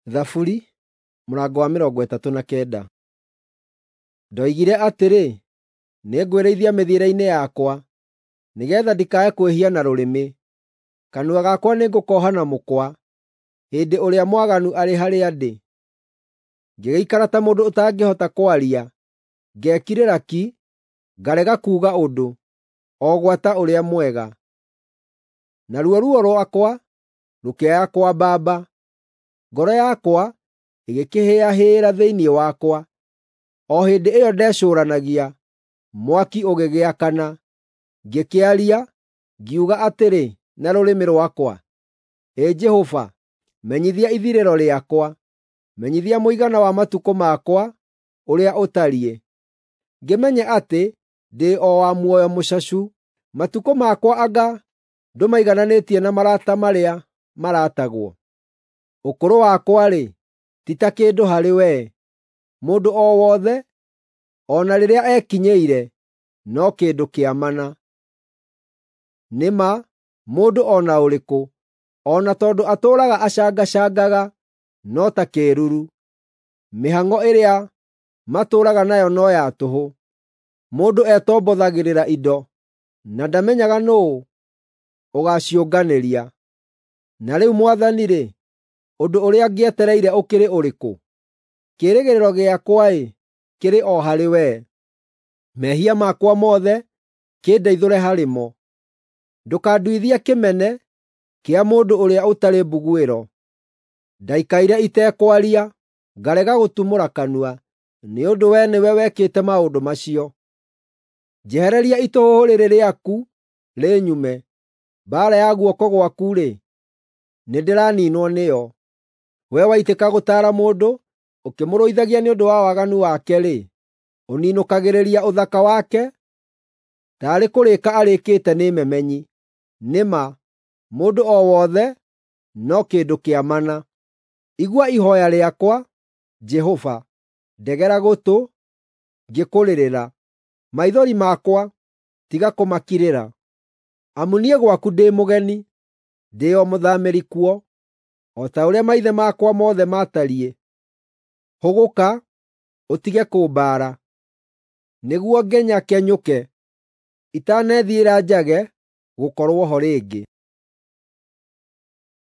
Thaburi mũrango wa 39. Ndoigire atĩrĩ, “Nĩngwĩrĩithia mĩthiĩre-inĩ yakwa, nĩgeetha ndikae kwĩhia na rũrĩmĩ. Kanua gakwa nĩngũkooha na mũkwa hĩndĩ ũrĩa mwaganu arĩ harĩa ndĩ. Ngĩgĩikara ta mũndũ ũtangĩhota kwaria, ngekirĩra ki, ngarega kuuga ũndũ, o gwata ũrĩa mwega. Naruo ruo rwakwa rũkĩaya kwambamba, ngoro yakwa ĩgĩkĩhĩahĩĩra thĩinĩ wakwa. O hĩndĩ ĩyo ndecũũranagia, mwaki ũgĩgĩakana; ngĩkĩaria, ngiuga atĩrĩ na rũrĩmĩ rwakwa, “Ĩ Jehova, menyithia ithirĩro rĩakwa; menyithia mũigana wa matukũ makwa ũrĩa ũtariĩ, ngĩmenye atĩ ndĩ o wa muoyo mũcacu. Matukũ makwa anga ndũmaigananĩtie na marata marĩa maratagwo? Ũkũrũ wakwa-rĩ, ti ta kĩndũ harĩ wee; mũndũ o wothe, o na rĩrĩa ekinyĩire, no kĩndũ kĩa mana. Nĩ ma, mũndũ o na ũrĩkũ, o na tondũ atũũraga acangacangaga, no ta kĩĩruru. Mĩhang'o ĩrĩa matũũraga nayo no ya tũhũ. Mũndũ etombothagĩrĩra indo, na ndamenyaga nũũ ũgaaciũnganĩria. Na rĩu Mwathani-rĩ, ũndũ ũrĩa ngĩetereire ũkĩrĩ ũrĩkũ? Kĩĩrĩgĩrĩro gĩakwa-ĩ, kĩrĩ o harĩ wee. Mehia makwa mothe kĩndeithũre harĩ mo. Ndũkanduithie kĩmene kĩa mũndũ ũrĩa ũtarĩ mbuguĩro. Ndaikaire itekwaria, ngarega gũtumũra kanua, nĩ ũndũ wee nĩwe wekĩte maũndũ macio. Njehereria itũhũhũ rĩrĩ rĩaku rĩnyume; mbaara ya guoko gwaku-rĩ, nĩndĩraniinwo nĩyo. Wee waitĩka gũtaara mũndũ, ũkĩmũrũithagia nĩ ũndũ wa waganu wake-rĩ, ũninũkagĩrĩria ũthaka wake taarĩ kũrĩĩka arĩĩkĩte nĩ memenyi. Nĩ ma, mũndũ o wothe no kĩndũ kĩa mana. Igua ihooya rĩakwa, Jehova; ndegera gũtũ ngĩkũrĩrĩra. Maithori makwa tiga kũmakirĩra. Amu niĩ gwaku ndĩ mũgeni, ndĩ o mũthaamĩri kuo, o ta ũrĩa maithe makwa mothe maatariĩ. Hũgũka, ũtige kũmbaara, nĩguo ngenyakenyũke, itanethiĩra njage gũkorwo ho rĩngĩ.